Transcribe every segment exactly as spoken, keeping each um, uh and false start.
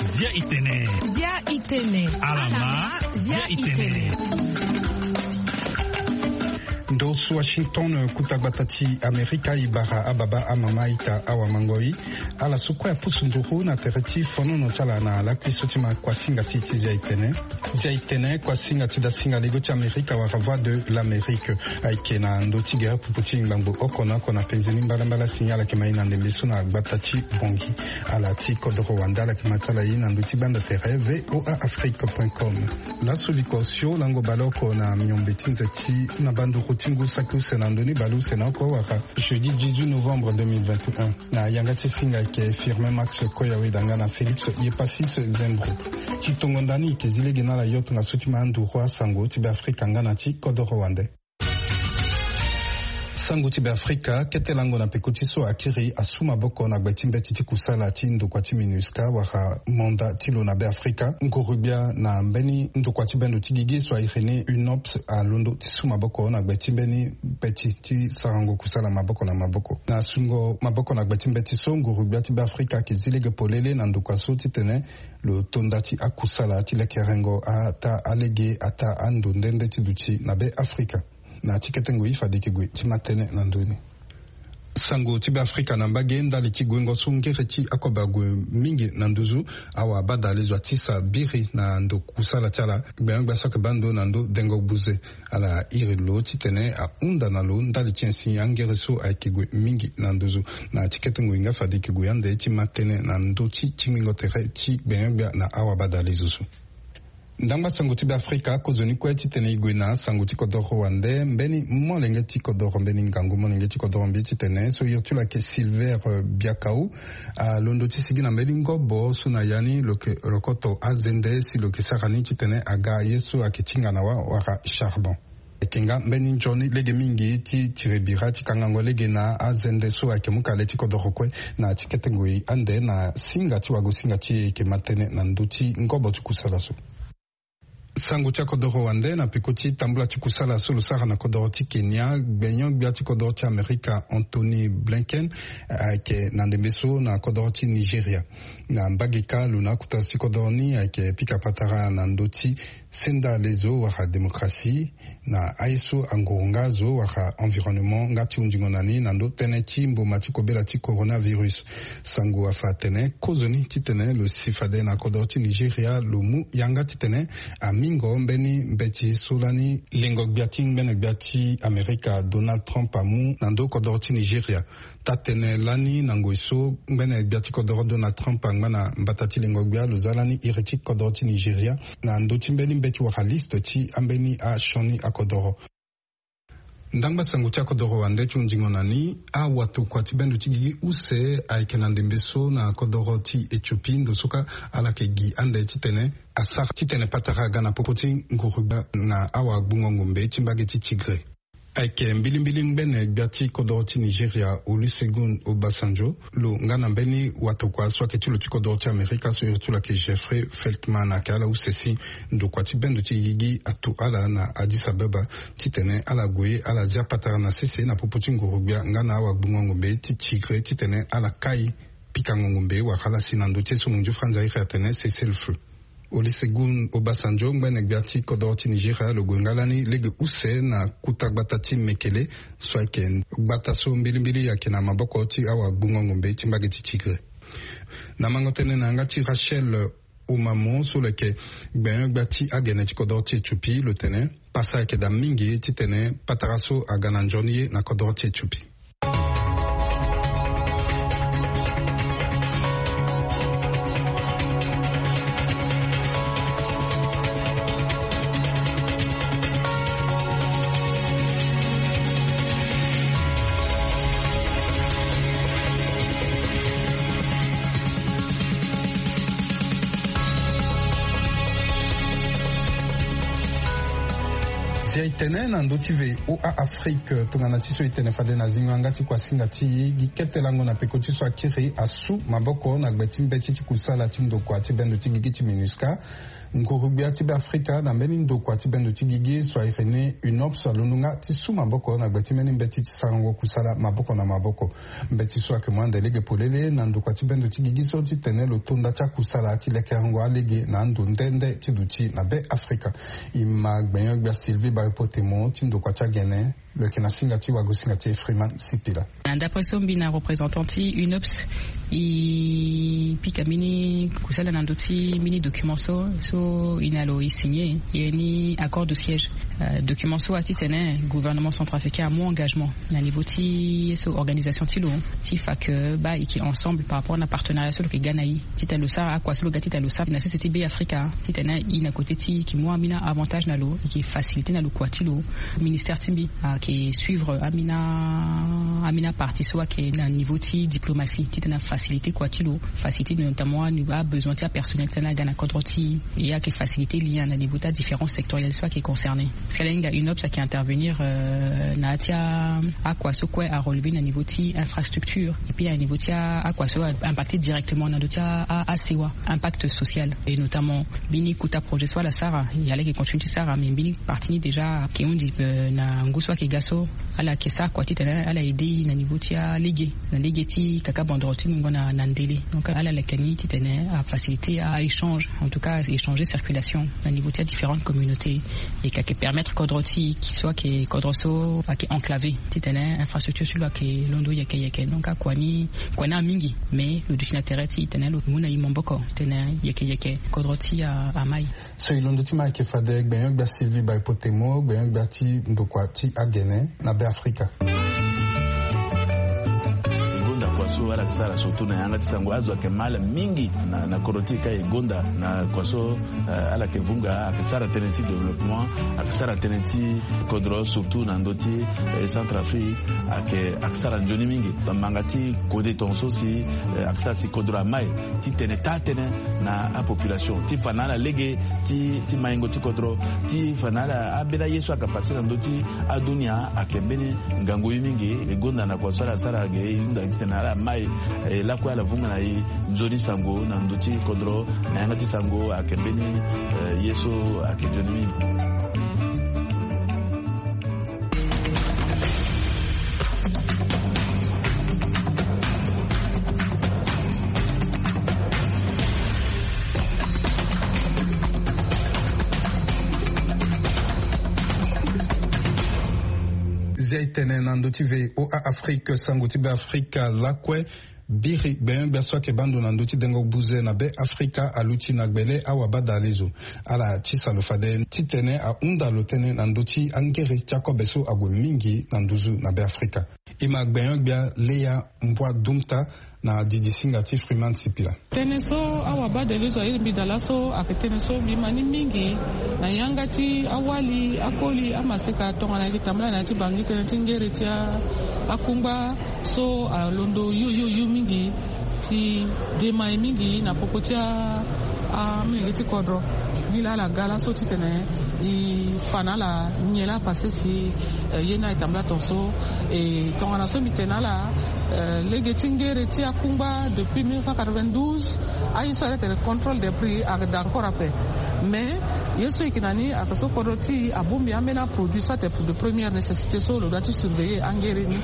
Zia itene. Zia itene. Alama. Zia itene. Ndo so Washington, kuta gbata ti Amerika, e bara ababa, amama, ita, awamangoi, ala so kue apusu nduru na tere ti fonono ti ala na lakui so ti ma kuasinga ti ti Zia itene. Zia itene, kuasinga ti dasinga lego ti Amerika wala Voix de l'Amérique. Ayeke na ndö ti gere pupu ti ngbangbo oko na oko na penze ni mbalambala, signal ayeke ma e na ndembe so na gbata ti Bangui. Ala ti kodoro wande ala yeke ma ti ala ye na ndö ti gbanda tere V O A Afrique point com. Laso viko sio lango baleoko na miombe ti nze ti na banduru ti ngu saki use na ndö ni baleuse na oko wala jeudi dix-huit novembre deux mille vingt et un. Na yanga ti singa ayeke Firmin Max Koyaweda nga na Félix Yepasis Zembro. Ti tongo ndani e yeke zi lege na ala yo tongaso ti ma anduru asango ti Beafrika nga na ti kodoro wande. Sango ti Beafrika, kete lango na peko ti so akiri asu maboko na gbe ti mbeti ti kusala ti ndokua ti MINUSCA wala manda ti lo na Beafrika. Nguru-gbia na mbeni ndokua ti bendo ti gigi so a iri ni UNOPS alondo ti su maboko na gbe ti mbeni mbeti ti sarango kusala maboko na maboko. Na sungo maboko na gbe ti mbeti so, nguru-gbia ti Beafrika ayeke zi lege polele na ndokua so titene lo to nda ti akusala ti lekerengo ataa alege, ataa ando nde nde ti duti na Beafrika. Na ti kete ngoi fade e yeke gue ti ma tënë na ndö ni. Sango ti Beafrika na mbage, ndali ti guengo so ngere ti akobe ague mingi na nduzu, awabadalezo atisa biri na ndo kusala ti ala. Gbenyo-gbia so ayeke baa ndo na ndo dengo gbuze, ala iri lo titene ahunda na lo ndali ti insi angere so ayeke gue mingi na nduzu. Na ti kete ngoi nga fade e yeke gue ande ti ma tënë na ndö ti tingbingo tere ti gbenyo-gbia na awabadalezo so. Ndangba sango ti Beafrika, kozoni kue titene e gue na sango ti kodoro wande, mbeni molenge ti kodoro, mbeni ngangu molenge ti kodoro mbi titene so iri ti lo ayeke Silver, eh, Biakau, alondo ti sigi na mbeni ngobo so na ya ni lo yeke rokoto azende si lo yeke sara ni titene aga ye so ayeke tinga na wa wala charbon. Ayeke nga mbeni nzoni lege mingi ti tiri bira ti kangango lege na azende so ayeke mu ka le ti kodoro kue. Na ti kete ngoi ande na singa ti wagosinga ti e e yeke ma tënë na ndö ti ngobo ti kusala so. Sango ti akodoro wande, na peko ti tambula ti kusala so lo sara na kodoro ti Kenya, gbenyo-gbia ti kodoro ti Amerika Antony Blinken, eh, ayeke na ndembe so na kodoro ti Nigeria. Na mbage kâ, lo na akota zo ti kodoro ni ayeke pika patara na ndö ti senda lezo wala démocratie, na aye so anguru nga azo wala environnement nga ti hundingo na ni na ndö tënë ti mboma ti kobela ti coronavirus. Sango afa atene kozoni titene lo si fade na kodoro ti Nigeria lo mu yanga titene amingo mbeni mbeti so lani lengo-gbia ti ngbene-gbia ti Amerika Donald Trump amu na ndö kodoro ti Nigeria. Taa-tënë lani na ngoi so ngbene-gbia ti kodoro Donald Trump angba na mbata ti lengo-gbia, lo za lani iri ti kodoro ti Nigeria na ndö ti mbeni mbeti wala liste ti ambeni asioni akodoro. Ndangba sango ti akodoro wande ti hundingo na ni, awatokua ti bendo ti gigi use ayeke na ndembe so na kodoro ti Éthiopie, ndo so kâ ala yeke gi ande titene asara titene patara aga na popo ti nguru-gbia na awagbungo ngombe ti mbage ti Tigré. Ayeke mbilimbili ngbene-gbia ti kodoro ti Nigeria Olusegun Obasanjo, lo nga na mbeni watokua so ayeke ti lo ti kodoro ti Amerika so iri ti lo ayeke Jeffrey Feltman ayeke ala use si ndokua ti bendo ti gigi ato ala na Addis Abeba titene ala gue ala zia patara na sese na popo ti nguru-gbia nga na awagbungo ngombe ti Tigré titene ala kai pikango ngombe wala ala si na ndö ti ye so mondio franzi airi atene cessez-le-feu. Olusegun Obasanjo, ngbene-gbia ti kodoro ti Nigeria, lo gue nga lani lege use na kuta gbata ti Mekele so ayeke gbata so mbilimbili ayeke na maboko ti awagbungo ngombe ti mbage ti Tigré. Na mango tënë na yanga ti Rachel Omamo so lo yeke gbenyo-gbia ti agene ti kodoro ti Éthiopie, lo tene pasa ayeke daa mingi titene patara so aga na nzoni ye na kodoro ti Éthiopie. Si aye tene na ndö ti ve o a afrique tongana ti so e tene fade na zingo yanga ti kuasinga ti gi kete lango na peko ti so akiri asu maboko na gbe ti mbeti ti kusala ti ndokua ti bendo ti gigi ti minusca. Nguru-gbia ti be afrika na mbeni ndokua ti bendo ti gigi so airi ni unops alondo nga ti su maboko na gbe ti mbeni mbeti ti sarango kusala maboko na maboko. Mbeti so ayeke mu ande lege polele na ndokua ti bendo ti gigi so titene lo to nda ti akusala ti lekerengo alege na ando nde nde ti duti na be afrika. E ma gbenyo-gbia sylvie bayopo temo ti ndokua ti agene. Lo yeke na singa ti wagosinga ti efriman sipila. Na ndapre so mbi na représentant ti unops, e pika mbeni kusala na ndö ti mbeni document so so e na lo e signe e ye ni accord de siège. Document so atitene gouvernement centrafricain amu engagement na niveau ti ye so organisation ti lo ti fa ke baa e ke ensemble par rapport na partenariat so lo ke ga na e titene lo sara akua so lo ga titene lo sara na sese ti be afrika titene e na kote ti e ke mu ambeni avantage na lo e ke facilite na lo kua ti lo. Ministère ti mbi ayeke suivre ambeni partie so ayeke na niveau ti diplomatie titene afacilite kua ti lo facilite notamment abesoin ti apersonnel titene aga na kodro ti e e ayeke facilite lien na niveau ti adifférence sectorielle so ayeke concerné. Parce que ala hinga unops ayeke intervenir na ya ti akua so kue arelever na niveau ti infrastructure et puis na niveau ti akua so impacte directement na ndö ti asewa impact social. Et notamment mbeni kota projet so ala sara e ala yeke continue ti sara mais mbeni partie ni déjà ayeke hundi na ngu so ayeke ga so ala yeke sara kua titene ala aide e na niveau ti alege na lege ti kaka bandoro ti mungo na ndele. Donc ala leke ni titene afacilite aéchange en tout cas échanger circulation na niveau ti adifférentes communautés. E ka yeke permettre kodro ti e so ayeke kodro so ayeke enclavé titene infrastructure ti lo ayeke londo yeke yeke donc akua ni kua ni amingi mais lo duti na tere ti e tene lo mu na e maboko titene yeke yeke kodro ti e ama e. So e londo ti ma ayeke fade gbenyo-gbia sylvie baipotemo gbenyo-gbia ti ndokua ti agene na be afrika. E gonda kua so ala yeke sara surtout na yanga ti sango azo ayeke ma ala mingi na kodro ti e ka e gonda na kua so ala yeke vunga ayeke sara tënë ti développement ayeke sara tënë ti kodro surtout na ndö ti centrafrique. Ayeke ayeke sara nzoni mingi bamanga ti kode tonga so si ayeke sara si kodro ama e titene taa tënë na apopulation ti fa na ala lege ti maingo ti kodro ti fa na ala ambeni aye so ayeke pase na ndö ti adunia ayeke mbeni ngangu ye mingi. E gonda na kua so ala sara ge e hunda titene ala ma e lakue ala vunga na e nzoni sango na ndö ti kodro na yanga ti sango ayeke mbeni ye so ayeke nzoni mingi. Zia e tene na ndö ti voa afrique sango ti be afrika lakue. Biri gbenyo-gbia so ayeke baa ndo na ndö ti dengo buze na be afrika aluti na gbele awabadalezo ala tisa lo fade titene ahunda lo tënë na ndö ti angere ti akobe so ague mingi na nduzu na be afrika. E ma gbenyo-gbia leya mbua dumta na didi singa ti freeman sipila. Tënë so awabadalezo aye mbi daa laso ayeke tënë so mbi ma ni mingi na yanga ti awali akoli amaseka tongana ayeke tambala na ya ti bangi tënë ti ngere ti akungba so alondo yoyoyo mingi ti dema e mingi na popo ti amolenge ti kodro. Nilaa ala ga laso titene e fa na ala nyen laa pase si ye ni ayeke tambula tonga so. E tongana so mbi tene na ala lege ti ngere ti akungba depuis mille neuf cent quatre-vingt-douze aye so ayeke tene contrôle des prix ayeke daa encore ape. Mais ye so e yeke na ni ayeke so kodro ti e abongbi ambeni aproduit so ayeke de première nécessité so lo doit ti surveiller angere ni.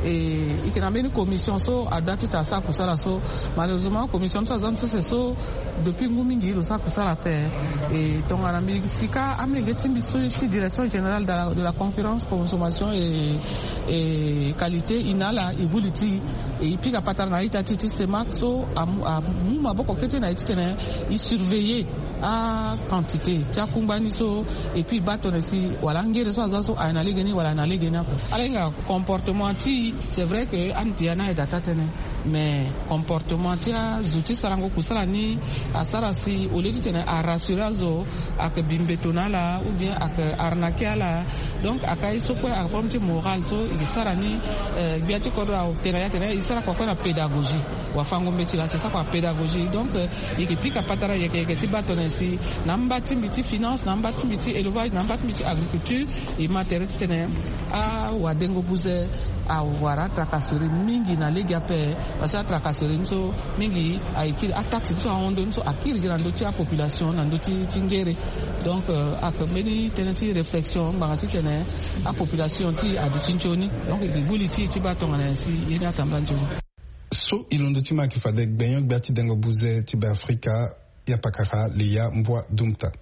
E yeke na mbeni commission so adoit ti tene asara kusala so malheureusement commission ni so aza ni sese so depuis ngu mingi lo sara kusala ape. E tongana mbi sika amolenge ti mbi so ti direction générale de la concurrence consommation et qualité e na ala e buli ti e e pika patara na a-ita ti ti semak so amu maboko kete na e titene e surveiller aquantité ti akungba ni so. Et puis e baa tongana si wala angere so aza so aye na lege ni wala aye na lege ni ape. Ala hinga comportement ti e. C'est vrai que ande ti e ana aye daa taa tënë. Mais comportement ti azo ti sarango kusala ni asara si au lieu titene arassurer azo, ayeke bi mbeto na ala ou bien ayeke arnaquer ala. Donc ayeke aye so kue ayeke problème ti moral so e ke sara ni. Gbia ti kodro atene ya tene e sara kua kue na pédagogie. Wafango mbeti laa ti sara kua pédagogie. Donc e ke pika patara yeke yeke ti baa tongana nyen si na amba ti mbi ti finance, na amba ti mbi ti élevage, na amba ti mbi ti agriculture, e ma tere titene awadengo buze awara atracasserie mingi na lege ape. Parce que atracasserie ni so mingi aye kiri ataxe ni so ahon ndö ni so akiri gi na ndö ti apopulation na ndö ti ngere. Donc ayeke mbeni tënë ti réflexion ngbanga titene apopulation ti aduti nzoni. Donc e ke gbu li ti e ti baa tongana nyen si ye ni atamba nzoni. So e londo ti ma ayeke fade gbenyo-gbia ti dengo buze ti Beafrika, ya pakara Leya Mbua Dumta.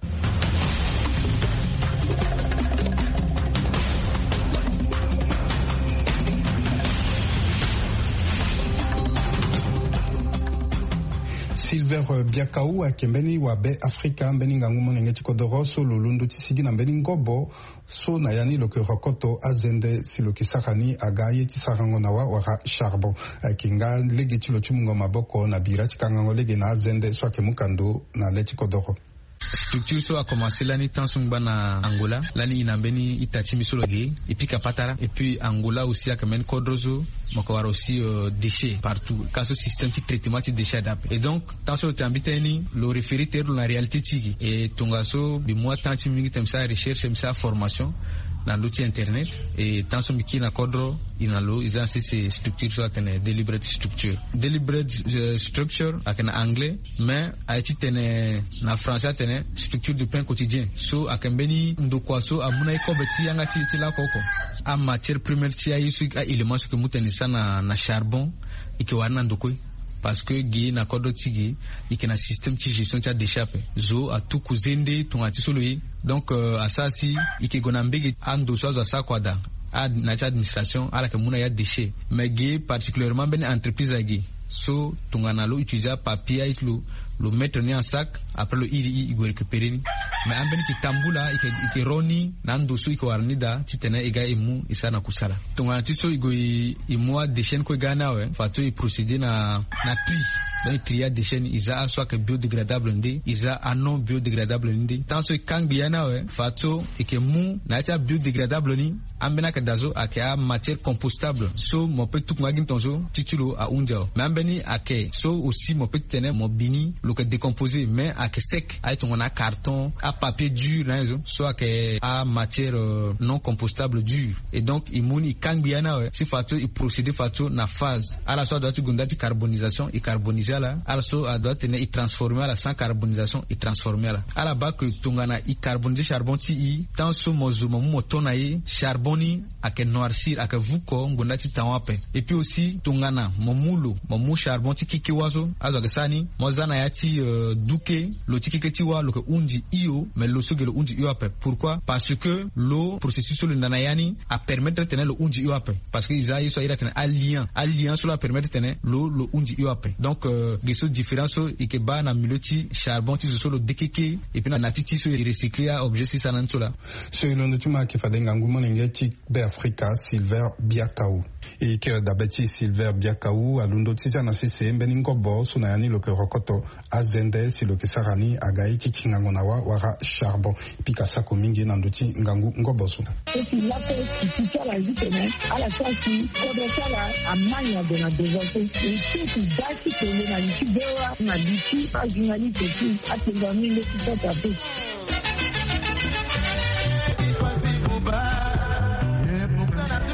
Silver Biakau ayeke mbeni wabe Afrika, mbeni ngangu molenge ti kodoro so lo londo ti sigi na mbeni ngobo so na ya ni lo ke rokoto azende si lo ke sara ni aga aye ti sarango na wa wala charbon. Ayeke nga lege ti lo ti mungo maboko na bira ti kangango lege na azende so ayeke mu kando na le ti kodoro. Structure so akomanse lani temps so ngba na Angola, lani e na mbeni ita ti mbi so lo ge e pika patara. Et puis Angola aussi ayeke mbeni kodro so mo yeke wara aussi déchet partout, ka so système ti traitement ti déchet adape. Et donc temps so lo tene na mbi tënë ni lo référer tere lo na réalité ti e. Et tongaso mbi mu atemp ti mbi mingi tene mbi sara recherche, mbi sara formation na ndö ti internet. Et temps so mbi kiri na kodro e na lo e za na sese structure so atene deliberate structure. Deliberate structure ayeke na anglais, mais aye titene na français atene structure du pain quotidien. So ayeke mbeni ndokua so amu na e kobe ti yanga ti e ti lako oko. Amatière première ti aye so aélément so e ke mu tene e sara na charbon e ke wara ni na ndo kue. Parce que ge na kodro ti ge e ke na système ti gestion ti adéchet ape. Zo atuku zende tongana ti so lo ye. Donc asara si e ke gue na mbege ando so azo asara kua daa na ya ti administration ala yeke mu na ya déchet. Mais ge particulièrement mbeni entreprise age so tongana lo utiliser apapier aye ti lo, lo mettre ni en sac, après lo iri e e gue récupérer ni. Mais ambeni e ke tambula e ke ro ni na ando so e ke wara ni daa titene e ga e mu e sara na kusala. Tongana ti so e gue e mu adéchet ni kue e ga ni awe, fadeso e procéder na na tri. Donc e tri adéchet ni, e za aso ayeke biodégradable nde, e za anon biodégradable ni nde. Tant so e kangbi ya ni awe, fadeso e ke mu na ya ti abiodégradable ni. Ambeni ayeke daa so ayeke amatière compostable so mo pe tuku nga gi ni tongaso ti ti lo ahunzi awe. Mais ambeni ayeke so aussi mo pe ti tene mo bi ni lo yeke décomposer mais ayeke sec aye tongana acarton, apapier dur na aye zo so ayeke amatière non compostable dur. Et donc e mu ni e kangbi ya ni awe si fadeso e procéder fadeso na phase. Ala so adoit ti gue nda ti carbonisation e carboniser ala. Ala so adoit tene e transformer ala sans carbonisation e transformer ala. Ala baa ke tongana e carboniser charbon ti e, tant so mo zo mo mu mo to na e, charbon ni ayeke noircir, ayeke vuko ngonda ti taon ape. Et puis aussi tongana mo mu lo mo mu charbon ti keke wa so azo ayeke sara ni, mo za na ya ti duke, lo ti keke ti wa lo yeke hunzi hio. Mais lo so ge lo hunzi hio ape. Pourquoi? Parce que lo processus so lo nda na ya ni apermettre tene lo hunzi hio ape. Parce que e za ye so a iri atene alien alien so lo apermettre tene lo lo hunzi hio ape. Donc ge so différence so e ke baa na milieu ti charbon ti zo so lo dekeke. Et puis na na ti ti so e recycler aobjet si sara na ni so laa. So e londo ti ma ayeke fade ngangu molenge ti Beafrika Silver Biakau. E kiri dabe ti Silver Biakau alondo ti za na sese mbeni ngobo so na ya ni lo yeke rokoto azende si lo yeke sara ni aga ye ti tingango na wa wala charbon. Pika sako mingi na ndö ti ngangu ngobo so. Eti lako eti ti ala zi tene ala sara si kodro ti ala amai na gue na devant so. E so eti da ti tene na li ti bewa na li ti ajournaliste ti atengami nde ti sota pe.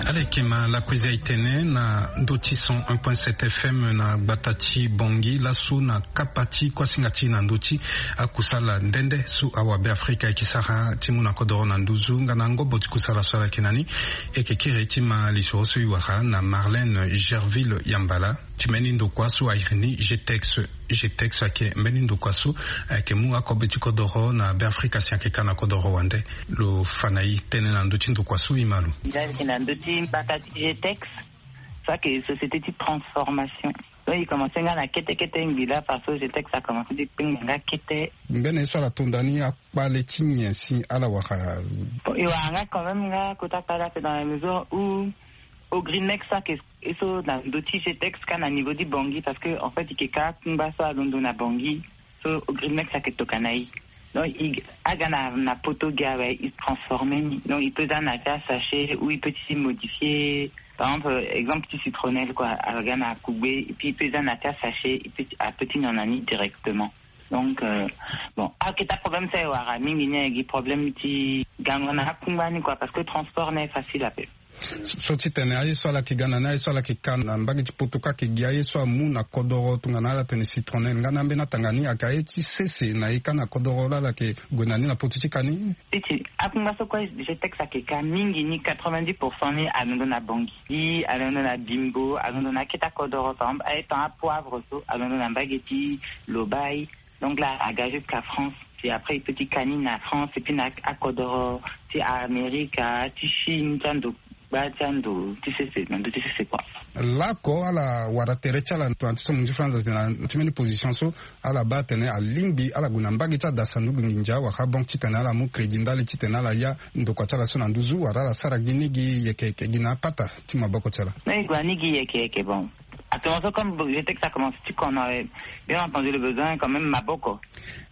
Ala yeke ma lakue eza e tene na ndö ti cent un point sept F M na gbata ti Bangui laso na kapa ti kuasinga ti na ndö ti akusala nde nde so awabe afrika ayeke sara ti mu na kodoro na nduzu nga na ngobo ti kusala so ala yeke na ni. E yeke kiri ti ma lisoro so e wara na Marlène Gerville Yambala. Ti mbeni ndokua so a iri ni Getex. Getex ayeke mbeni ndokua so ayeke mu akobe ti kodoro na Beafrika si ayeke ka na kodoro wande. Lo fa na e tënë na ndö ti ndokua so e ma lo. Nzali yeke na ndö ti mbaka ti Getex. So ayeke société ti transformation. Donc e commence nga na kete kete ngbi laa parce que Getex a commence ti kpengba nga kete. Mbeni ye so ala to nda ni akpale ti nyen si ala wara? E wara nga quand même nga kota kpale ape dans la mesure où Ogrimex so ayeke, e so na ndö ti G T X ka na niveau ti Bangui, parce que en fait e yeke ka akungba so alondo na Bangui. So Ogrimex ayeke tokua na e. Donc e aga na, na poto gi awe, e transformer ni. Donc e peut za na ya ti asachet ou e peut ti modifier. Par exemple, exemple ti citronnelle quoi, aga na kugbe, et puis e peut za na ya ti asachet, e peut ti, a peut ti nyon na ni directement. Donc euh, bon, akete aproblème so e wara mingi ni ayeke gi problème ti gango na akungba ni quoi, parce que transport ni aye facile ape. So ti tene aye so ala yeke ga na ni, aye so ala yeke ka na mbage ti poto ka ayeke gi aye so amu na kodoro, tongana ala tene citronnelle nga na ambeni atanga ni, ayeke aye ti sese na e ka na kodoro laa ala yeke gue na ni na poto ti ka ni? Ti ti akungba so kue G T X ayeke ka mingi ni, quatre-vingt-dix pour cent ni alondo na Bangui, alondo na Bimbo, alondo na akete akodoro. Par exemple aye tan apoivre so alondo na mbage ti Lobaye. Donc là aga jusqu'à France. Puis après e peut ti ka ni na France, et puis na akodoro ti Amerika, ti Chine, ti ando gba ti ando ti sese, na ndö ti sese quoi. Laoko ala wara tere ti ala na ti so mo nzi franza na ti mbeni position so, ala baa atene alingbi ala gue na mbage ti ada sanduku nginza wala banque titene ala mu crédit ndali titene ala ya ndokua ti ala so na nduzu, wala ala sara gi ni gi yeke yeke gi na apata ti maboko ti ala. Non, e gue na ni gi yeke yeke. Bon, actuellement so comme G T X a commencé ti kono, euh, bien entendu le besoin quand même maboko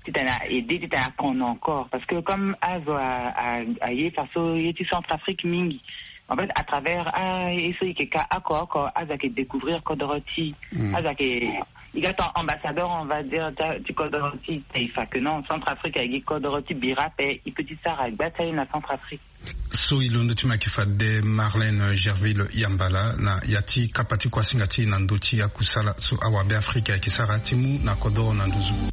titene a aidé, titene a kono encore, parce que comme azo a, a, aye faso ye ti Centrafrique mingi. En fait à travers a, ye so e yeke ka oko oko, azo ayeke découvrir kodoro ti, azo ayeke, e ga ton ambassadeur, on va dire, ti, ti kodoro ti taifa, que non, Centrafrique ayeke gi kodoro ti bira ape, e peut ti sara gba ti aye na Centrafrique. So e londo ti mo ayeke fade Marlène Gerville Yambala na ya ti kapa ti kuasinga ti e na ndö ti akusala so awabe Afrika ayeke sara ti mu na kodoro na nduzu.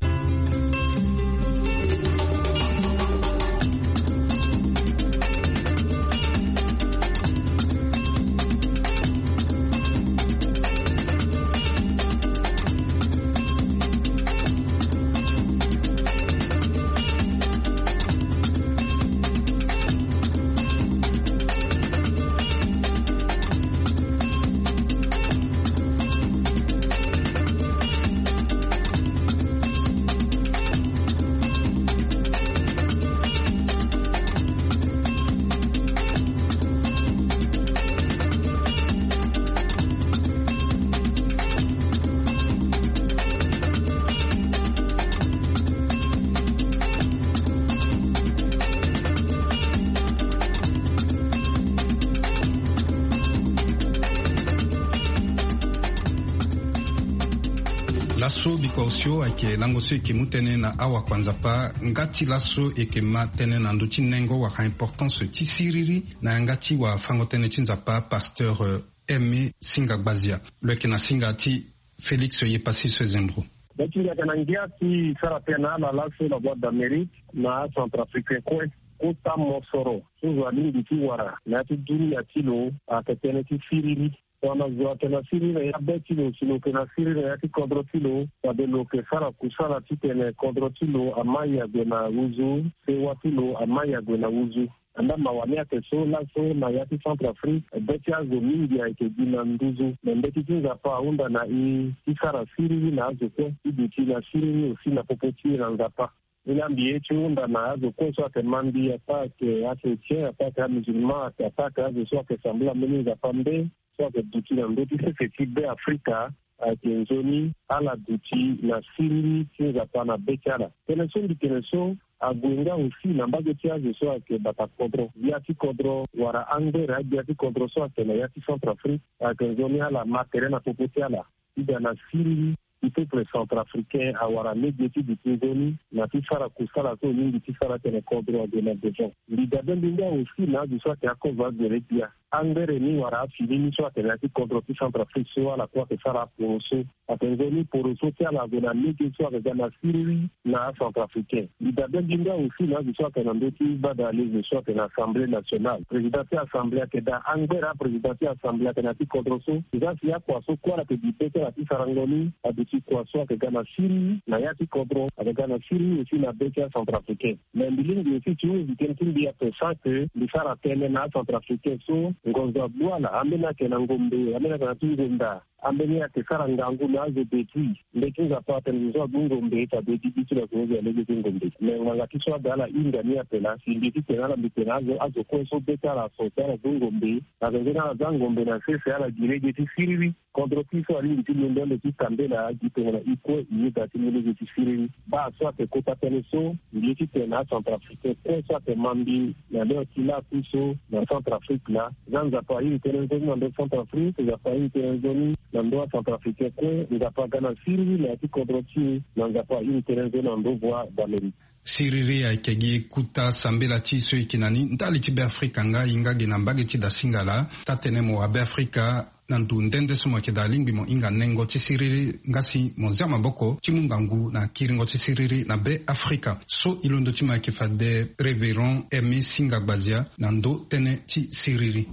Laso bikua osio ayeke lango so e yeke mu tënë na awakua Nzapa. Nga ti laso e yeke ma tënë na ndö ti nengo wala importance ti siriri na yanga ti wafango-tënë ti Nzapa, pasteur, euh, Aimé Singa Gbazia. Lo yeke na singa ti Félix Yepassis Zembro. Be ti ngia ayeke na ngia ti sara tënë na ala laso na Voix d'Amérique na acentrafricain kue. Kota mosoro so zo alingbi ti wara na ya ti dunia ti lo ayeke tënë ti siriri. Tongana zo ayeke na siriri na ya be ti lo, si lo yeke na siriri na ya ti kodro ti lo, fade lo yeke sara kusala titene kodro ti lo amai ague na nduzu, sewa ti lo amai ague na nduzu. Anda mawa ni ayeke so laso na ya ti Centrafrique, be ti azo mingi ayeke gi na nduzu. Me mbeti ti Nzapa ahunda na e ti sara siriri na azo kue, ti duti na siriri aussi na popo ti e na Nzapa. E laa mbi ye ti hunda na azo kue so ayeke ma mbi, ataa ayeke achrétien, ataa ayeke amusulman, ataa ayeke azo so ayeke sambela mbeni Nzapa nde so ayeke duti na ndö ti sese ti Be Afrika, ayeke nzoni ala duti na siriri ti Nzapa na be ti ala. Tënë so mbi tene so ague nga aussi na mbage ti azo so ayeke bata kodro, gbia ti kodro wala angbere agbia ti kodro so ayeke na ya ti Centrafrique, ayeke nzoni ala ma tere na popo ti ala ti ga na siriri ti peuple centrafricain awara lege ti duti nzoni na ti sara kusala so e lingbi ti sara tene kodro ague na devant. Mbi dabe mbi nga aussi na azo so ayeke akova agbere gbia. Angbere ni wala afini ni so atene na ya ti kodro ti Centrafrique so ala kue ayeke sara aporoso. Ayeke nzoni poroso ti ala ague na lege so ayeke ga na siriri na acentrafricain. Mbi dabe mbi nga aussi na azo so ayeke na ndö ti bada alezo so ayeke na Assemblée nationale. Président ti Assemblée ayeke daa angbere, aprésident ti Assemblée ayeke na ya ti kodro so. Eza si akua so kue ala yeke gi be ti ala ti sarango ni aduti kua so ayeke ga na siriri na ya ti kodro, ayeke ga na siriri aussi na be ti acentrafricain. Mais mbi lingbi aussi ti hunzi tënë ti mbi ape sans que mbi sara tënë na acentrafricain so ngonzo agbu ala, ambeni ayeke na ngombe, ambeni ayeke na ti ngonda, Ambeni ayeke sara ngangu na azo de ti. Mbe ti Nzapa atene zo so agbu ngombe ita be ti bi ti lo azo zo alege ti ngombe. Me ngbanga ti so ada ala hinga ni ape laa si mbi ti tene ala mbi tene azo azo kue so be ti ala so si ala gbu ngombe. Na zenze ni ala za ngombe na sese ala gi lege ti siriri. Kodro ti so alingbi ti londo ande ti tambela gi tongana i kue i yeda ti mu lege ti siriri. Baa so ayeke kota tënë so mbi ye ti tene na acentrafricain kue so ayeke ma mbi na leo ti laa ku so na Centrafrique laa. Za Nzapa airi tënë nzoni na ndo Centrafrique, Nzapa airi tënë nzoni na ndo acentrafricain kue. Nzapa aga na siriri na ya ti kodro ti e. Na Nzapa airi tënë nzoni na ndo voie d'Amérique. Siriri ayeke gi kuta sambela ti e so e yeke na ni ndali ti Beafrika nga e nga gi na mbage ti dasinga laa. Taa-tënë mo wa Beafrika na ndo nde nde so mo yeke daa alingbi mo hinga nengo ti siriri nga si mo zia maboko ti mu ngangu na kiringo ti siriri na Beafrika. So e londo ti mo ayeke fade Révérend Aimé Singa Gbazia na ndo tënë ti siriri.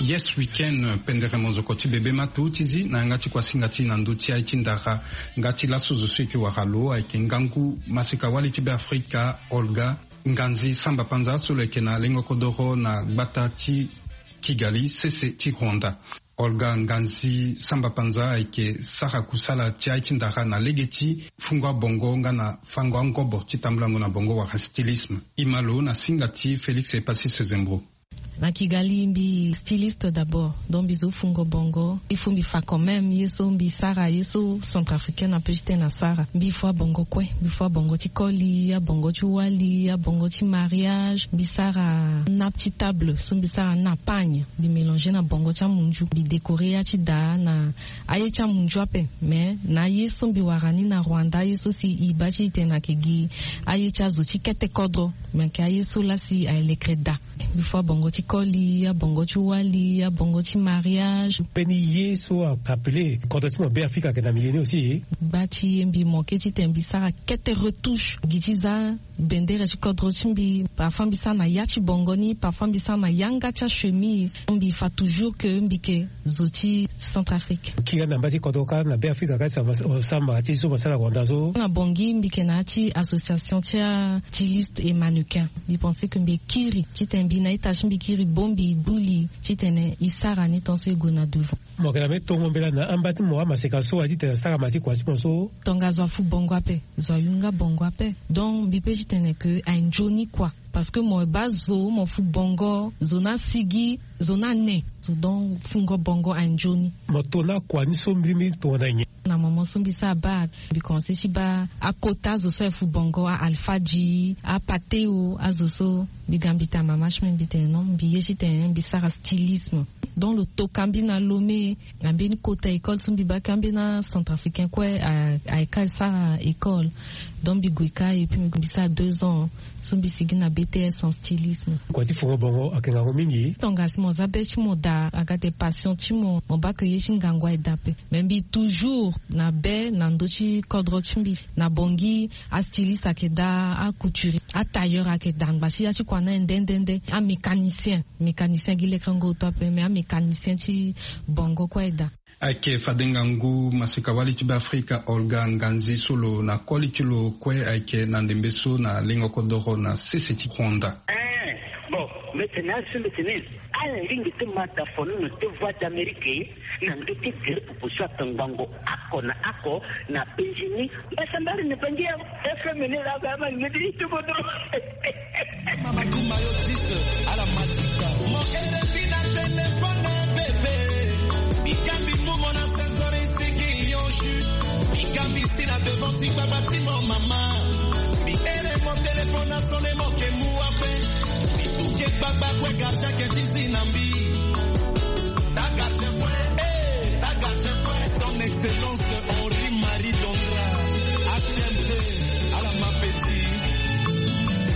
Yes Weekend, pendere monzoko ti bebe ma tu ti zi na yanga ti kuasinga ti na ndo ti aye ti ndara. Nga ti laso zo so e yeke wara lo ayeke ngangu maseka-wali ti Beafrika Olga Nganzi Samba Panza so lo yeke na lengo kodoro na gbata ti Kigali, sese ti Rwanda. Olga Nganzi Samba Panza ayeke sara kusala ti aye ti ndara na lege ti fungo abongo nga na fango angobo ti tambulango na bongo wala stylisme. E ma lo na singa ti Félix Epasis Zembro. Na Kigali mbi styliste d'abord, donc mbi zo fungo bongo. Il faut mbi fa quand même ye so mbi sara, ye so centrafricaine ape ti tene asara. Mbi fo abongo kue, mbi fo abongo ti koli, abongo ti wali, abongo ti mariage. Mbi sara nappe ti table so mbi sara na pagne, mbi mélanger na bongo ti amunzu, mbi décorer ya ti daa na aye ti amunzu ape. Mais na aye so mbi wara ni na Rwanda, aye so si e baa ti e tene ayeke gi aye ti azo ti kete kodro, me ayeke aye so laa si aye lekere daa. Mbi fo abongo ti koli, abongo ti wali, abongo ti mariage. Mbeni ye so a appelé kodro ti mo Beafrika ayeke na milieu ni aussi. Gba ti ye mbi manqué ti tene mbi sara kete retouche gi ti za bendere ti kodro ti mbi. Parfois mbi sara na ya ti bongo ni, parfois mbi sara na yanga ti achemise. Mbi fa toujours que mbi yeke zo ti Centrafrique. Kiri na mba ti kodro kâ na Beafrika kâ ti samba ti so mo sara Rwanda so. Na Bangui mbi yeke na ya ti association ti astyliste et mannequin. Mbi pensé que mbi kiri ti tene mbi na ita ti mbi kiri bâ mbi gbu li ti tene e sara ni tant so e gue na devant. Mo yeke na mbeni tongo mbela na amba ti mo amaseka so aye ti tene asara ma ti kua ti mo so. Tonga zo afu bongo ape, zo ayu nga bongo ape. Donc mbi pe ti tene que aye nzoni kua. Parce que mo baa zo, mo fu bongo, zo ni asigi, zo ni ane. Zo donc fungo bongo aye nzoni. Mo to na kua ni so mbirimbiri tongana nyen? Na moment so mbi sara bac, mbi commencé ti baa akota azo so aye fu bongo, a-Alpha G, a-Pateo, azo so. Mbi ga mbi tene mama ti mbi, mbi tene non, mbi ye ti tene mbi sara stylisme. Donc lo toka mbi na Lomé, na mbeni kota école so mbi baa kâ ambeni acentrafricain kue a, aye kâ e sara école. Donc mbi gue kâ et puis mbi sara deux ans so mbi sigi na B T S en stylisme. Kua ti fungo bongo ayeke ngangu mingi. Tonga si mo za be ti mo daa, aga daa passion ti mo, mo baa que ye ti ngangu aye daa ape. Mais mbi toujours na be na ndö ti kodro ti mbi. Na Bangui, astyliste ayeke daa, acouturier, atailleur ayeke daa, ngba ti ya ti kua ni aye nde nde nde. Amécanicien, mécanicien gi lekerengo oto ape, mais amécanicien ti bongo kue aye daa. Ayeke fade ngangu maseka-wali ti Beafrika Olga Nganzi so lo na koli ti lo kue ayeke na ndembe so na lengo kodoro na sese ti Rwanda. Eh, bon, mbi tene azo so mbi tene ala lingbi ti ma dafono na te Voix d'Amérique na ndö ti gere popo so atongbango oko na oko na Bangui. Mbasambala na Bangui ya F M ni la ba ma ni ti kodoro. Mama kuma yo six ala matika. Mo ere bi na téléphone. Gambi mumo na sensor isiki yo ju. Mbi gambi si na devant ti gbagba ti mo mama. Mbi ere mo téléphone na sonne mo ke mu ape. Mbi tuke gbagba kue gardien ke ti zi na mbi. Ta gardien kue, eh, ta gardien kue. Son excellence Henri Marie Dondra, H M T, ala ma petit.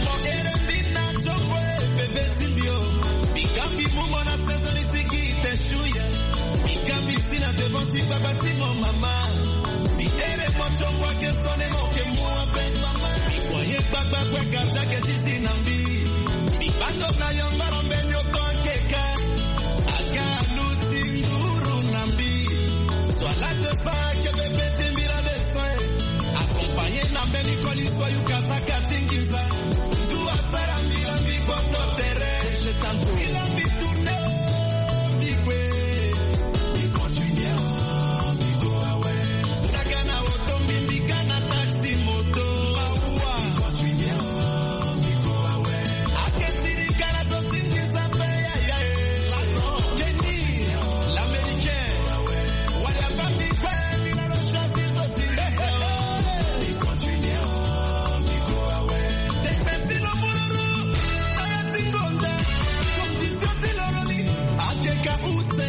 Mo ere mbi na tio kue bebe ti mbi o. Mbi gambi mumo na sensor isiki te shu ye. Mbi gambi si na devant ti gbagba ti mo mama. Mbi ere mo tio kue ke sonne mo ke mu ape. Mbi kua ye gbagba kue gardien ke ti zi na mbi. Mbi bando na yambara mbeni oko akeka. Aga aluti nduru na mbi. Soit la de fa ke bebe ti mbi la de soin. Accompagné na mbeni koli soit yuka saka ti nginza. Ndu asara mbi la mbi gboto tere. Mbi la mbi tourné o mbi kue. Mbi continué o mbi go awe. Daga na oto mbi mbi ga na taxi moto. Mawa. Mbi continué o mbi go awe. Ake siri ga na zo ti nginza mpe yaya e. Kenny, l'américain. Wala bambi kue mbi na lo choisir zo ti nginza. Mbi continué o mbi go awe. Tepesi lo moloro. Ala ti ngonda. Condition ti loro ni. Akeka use.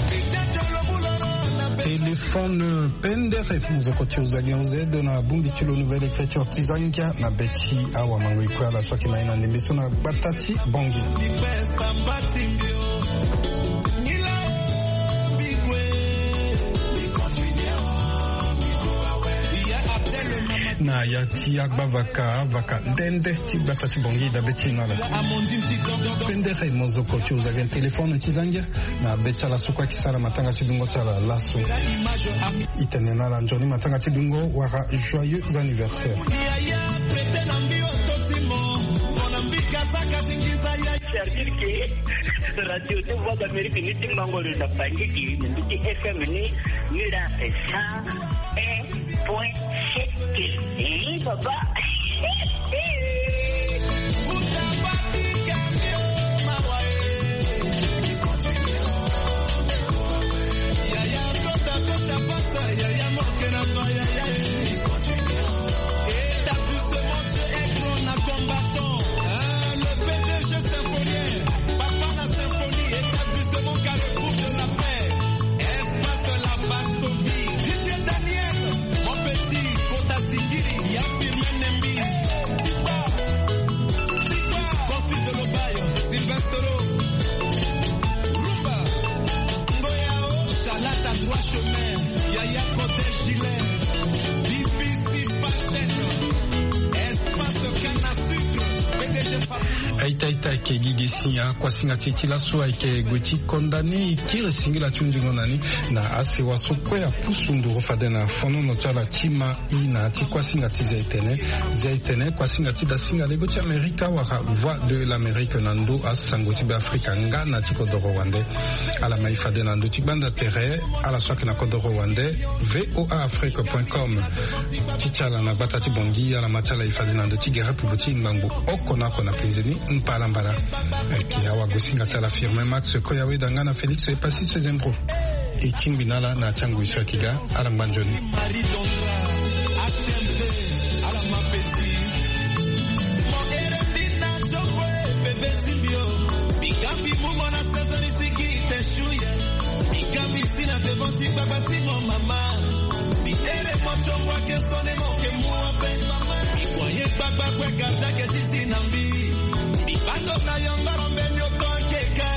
Mbi te ti lo moloro na pe. Téléphone pendere, mozoko ti ozali onze na bongbi ti lo Nouvelle Écriture ti Zangia na be ti awamangoi kue ala so ayeke ma ye na ndembe so na gbata ti Bangui. Na ya ti agbavaka, avaka nde nde ti gbata ti Bangui dabe ti e na ala. Pendere mozoko ti ozali téléphone ti Zangia. Na be ti ala so kue ayeke sara matanga ti dungo ti ala laso. E tene na ala nzoni matanga ti dungo wala joyeux anniversaire. C'est-à-dire que radio de Voix d'Amérique ni ti mango lo na Bangui, ni ti F M ni, ni la cent un point sept. Eh, papa. Établissement Dieu est grand na combattant. Hein, le P D G Symphonien, papa na symphonie, établissement Carrefour de la Paix, espace de la Varsovie. Didier Daniel, mon petit, kota singiri, ya Firmin Nembi. Tipa, Tipa, Consul de Lobaye, Sylvestro, Rumba, Ngoyao, Chalata, Droit Chemin, Yaya Kote Gilet, B B C Fashion, Espace Canne à Sucre, P D G Fabulous. Aita aita ayeke gi ge si akuasinga ti e ti laso ayeke gue ti konda ni, e kiri singila ti hunzingo na ni na asewa so kue apusu nduru fade na fonono ti ala ti ma. I na ya ti kuasinga ti Zia-Etene. Zia-Etene, kuasinga ti dasinga lego ti Amerika wala Voix de l'Amérique na ndö asango ti Beafrika nga na ti kodoro wande. Ala ma e fade na ndö ti gbanda tere, ala so ayeke na kodoro wande, V O A Afrique point com. Ti ti ala na gbata ti Bangui, ala ma ti ala e fade na ndö ti gere pupu ti ngbangbo oko na oko na penze ni mbalambala. Ayeke awagosinga ti ala Firmin Max Koyaweda nga na Félix Epassis Sezembro. E tingbi na ala na ya ti angoi so ayeke ga. Ala ngba nzoni. Marie Dondra, H M P, ala ma petit. Mo ere mbi na tio kue bebe ti mbi o. Mbi gambi mumo na sensor isiki te shu ye. Mbi gambi si na devant ti gbagba ti mo mama. Mbi ere mo tio kue ake sonne mo ke mu ape. Mbi kua ye gbagba kue gardien ake ti si na mbi. Mbi bando na yambara mbeni oko akeka.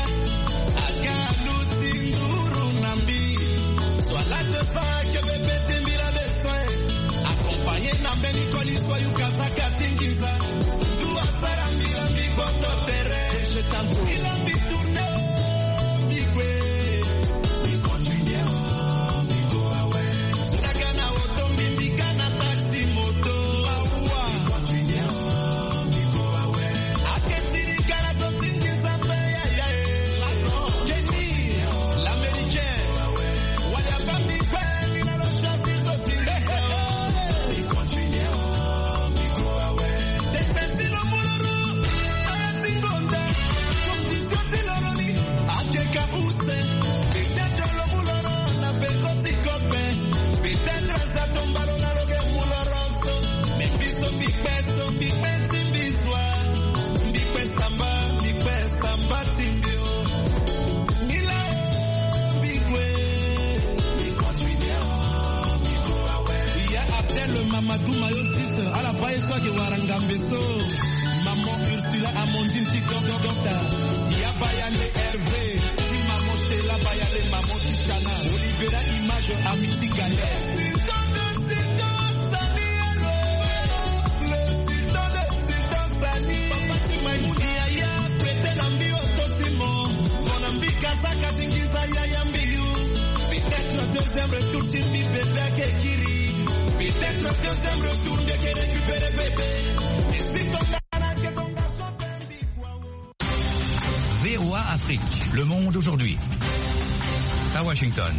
Aga aluti nduru na mbi. Soit la de fa ke bebe ti mbi la de soin. Accompagné na mbeni koli soit yuka saka ti nginza. Ndu asara mbi la mbi gboto tere. Mbi la mbi tourné o mbi gue. Mbi continué o mbi go awe. Daga na oto mbi mbi ga na taxi moto. Awa. Mbi continué o mbi go awe. Ake siri ga na zo ti nginza mpe yaya e. Kenny, l'américain. Wala bambi kue mbi na lo choisir zo ti nginza. Mbi continué o mbi go awe. Aduma yo dix, ala ba ye so ake wara ngambe so. Maman Ursula Amandine ti Docteur Docteur. Ya Bayale Hervé ti maman Sheila Bayale, maman ti Shana. Olivera Image, ami ti Galère. Sultan de Sultan Sani, le sultan de Sultan Sani. Papa ti Maimouna, yaya pete na mbi oto ti mo. Mo na mbi kasa kasi nginza yaya mbi yu. Peut-être deuxième retour ti mbi bebe ake kiri. Peut-être deuxième retour mbi ake récupérer bébé. Isi tonga na ake tonga so pe mbi kua o. V O A Afrique, le monde aujourd'hui. À Washington.